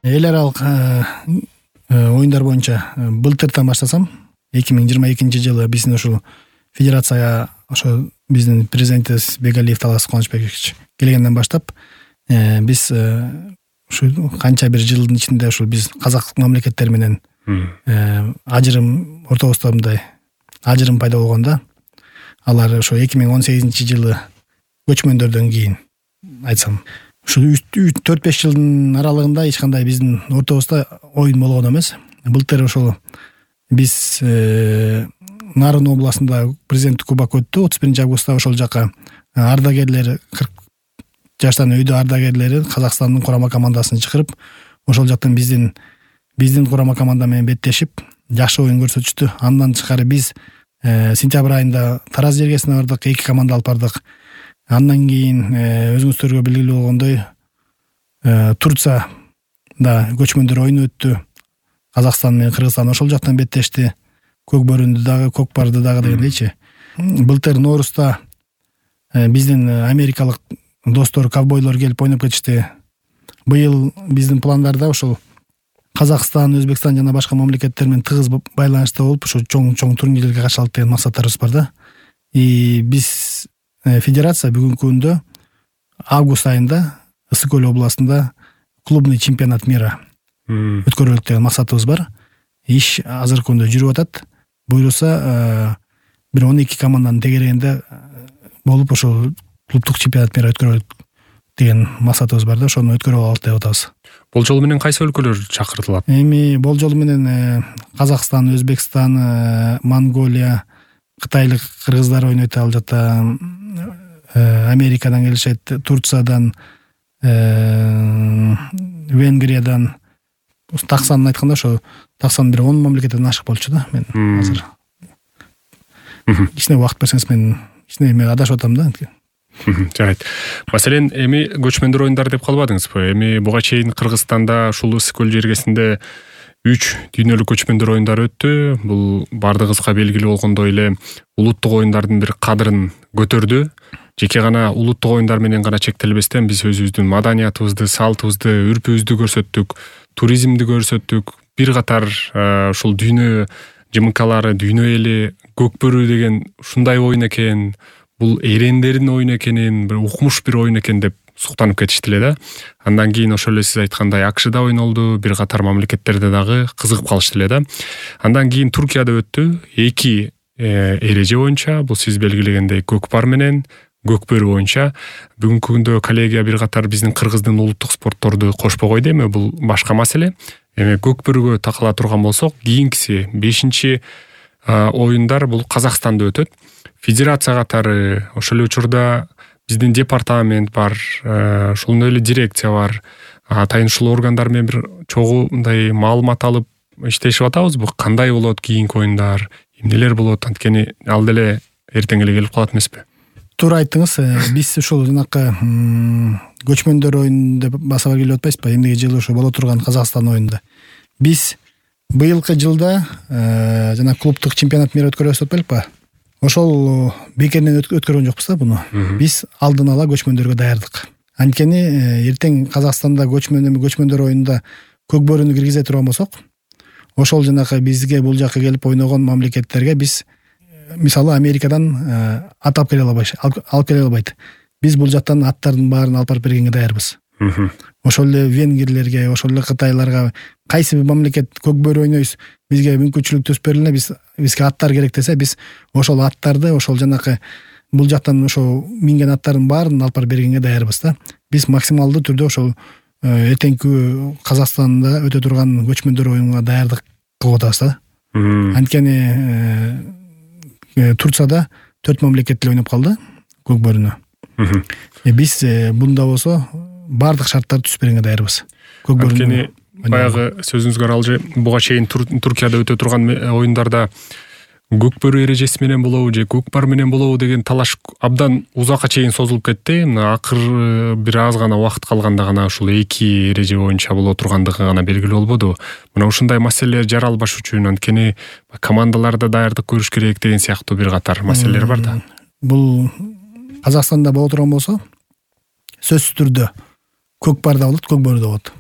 эл аралык оюндар боюнча былтыртан баштасам 2022 жылы биздин ушул федерацияга ошо биздин президентибиз Бегалиев Талас Кубанычбекович келгенден баштап биз ушу канча бир жылдын ичинде ушул биз казак мамлекеттери менен ажырым ортобузда мындай ажырым пайда болгондо алар ошо 2018 жылы көчмөндөрдөн кийин айтсам ушул 4-5 жылдын аралыгында эч кандай биздин ортобузда оюн болгон эмес. Былтыр ошол биз Нарын областында президенттик кубок өттү 31 августта. Ошол жака ардагерлер 40 жаштан өйдө ардагерлери Казакстандын курама командасын чакырып ошол жактан биздин курама команда менен беттешип жакшы оюн көрсөтүштү. Андан тышкары биз сентябрь айында Тараз жергесине бардык, 2 команда алып бардык. Андан кийин өзүңүздөргө белгилүү болгондой Турцияда көчмөндөр оюну өттү. Казакстан менен Кыргызстан ошол жактан беттешти. Көк бөрүндү дагы, көк барды дагы дегендейчи. Былтыр Ноорузда биздин америкалык достор, ковбойлор келип ойноп кетишти. Быйыл биздин пландарда ошол Казакстан, Өзбекстан жана башка мамлекеттер менен тыгыз байланышта болуп, ошо чоң турнирлерге катышалык деген максаттарыбыз бар да. Биз федерация бүгүнкү күндө август айында Ысык Көл областында клубный чемпионат мира өткөрөлүк деген максатыбыз бар. Иш азыркы күндө жүрүп атат. Буюрса бир 12 команданын тегерегинде болуп ошол клубдук чемпионат мира өткөрөлүк деген максатыбыз бар да. Ошону өткөрүп алалы деп атабыз. Болжол менен кайсы өлкөлөр чакыртылат? Эми болжол менен Казакстан, Өзбекстан, Монголия, кытайлык кыргыздар ойнойт ал жакта, Америкадан келишет, Турциядан, Венгриядан. Так санын айтканда ошо так сан бир 10 мамлекеттен ашык болчу да. Мен азыр кичине убакыт берсеңиз мен кичине адашып атам да. Жарайт. Маселен, эми көчмөндөр оюндары деп калбадыңызбы? Эми буга чейин Кыргызстанда ушул Ысык Көл жергесинде 3 дүйнөлүк көчмөндөр оюндары өттү. Бул бардыгыбызга белгилүү болгондой эле улуттук оюндардын бир кадырын көтөрдү. Жеке гана улуттук оюндар менен гана чектелбестен биз өзүбүздүн маданиятыбызды, салтыбызды, үрпүбүздү көрсөттүк, туризмди көрсөттүк. Бир катар ушул дүйнө жымыкалары, дүйнө эли көк бөрү деген ушундай оюн экен, бул эрендердин оюну экенин, бир укмуш бир оюн экен деп суктанып кетишти эле да. Андан кийин ошол эле сиз айткандай АКШда ойнолду, бир катар мамлекеттерде дагы кызыгып калышты эле да. Андан кийин Туркияда өттү. 2 эреже боюнча, бул сиз белгилегендей көк бар менен көк бөрү боюнча. Бүгүнкү күндө коллегия бир катар биздин кыргыздын улуттук спортторду кошпой койду. Эми бул башка маселе. Эми көк бөрүгө такала турган болсок, кийинкиси 5-чи оюндар бул Казакстанда өтөт. Федерация катары, ошол эле учурда биздин департамент бар, ошондой эле дирекция бар. Тайыншыл органдар менен бир чогуу мындай маалымат алып иштешип атабызбы? Кандай болот кийинки оюндар, эмнелер болот? Анткени ал деле эртең эле келип калат эмеспи? Туура айттыңыз. Биз ушул жанакы көчмөндөр оюну деп баса келип атпайсызбы? Эмнеге жылы ошо боло турган Казакстан оюнунда. Биз быйылкы жылда жана клубдук чемпионат мира өткөрөбүз деп белпи? Ошол бекеринен өткөргөн жокпуз да буну. Биз алдын ала көчмөндөргө даярдык. Анткени эртең Казакстанда көчмөндөр оюнунда көк бөрүнү киргизе турган болсок, ошол жанакы бизге бул жакка келип ойногон мамлекеттерге биз мисалы Америкадан алып келе албайт. Биз бул жактан аттардын баарын алып барып бергенге даярбыз. Ошол эле венгрлерге, ошол эле кытайларга кайсы бир мамлекет көк бөрү ойнойбуз, бизге мүмкүнчүлүк төсүп бериле, бизге аттар керек десе, биз ошол аттарды, ошол жанакы бул жактан ошол минген аттардын баарын алып барып бергенге даярбыз да. Биз максималдуу түрдө ошол эртеңки Казакстанда өтө турган көчмөндөр оюнуна даярдык кылып атабыз да. Анткени Турцияда 4 мамлекет эле ойноп калды көк бөрүнө. Биз бунда болсо бардык шарттарды түзүп бергенге даярбыз. Көк бөрүнө. Анткени баягы сөзүңүзгө аралжы буга чейин Туркияда өтө турган оюндарда көк бөрү эрежеси менен болобу же көк бар менен болобу деген талаш абдан узакка чейин созулуп кетти. Мына акыр бир аз гана убакыт калганда гана ушул 2 эреже боюнча боло тургандыгы гана белгилүү болбоду. Мына ушундай маселелер жаралбаш үчүн анткени командаларда даярдык көрүш керек деген сыяктуу бир катар маселелер бар да. Бул Казакстанда боло турган болсо, сөзсүз түрдө көк бар да болот, көк бөрү да болот.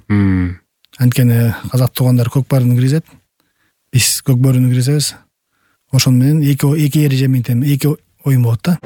Анткени казак туугандар көк баарыны киргизет, биз көк бөрүнү киргизебиз. Ошону менен эки эрежеменен эки оюн болот да.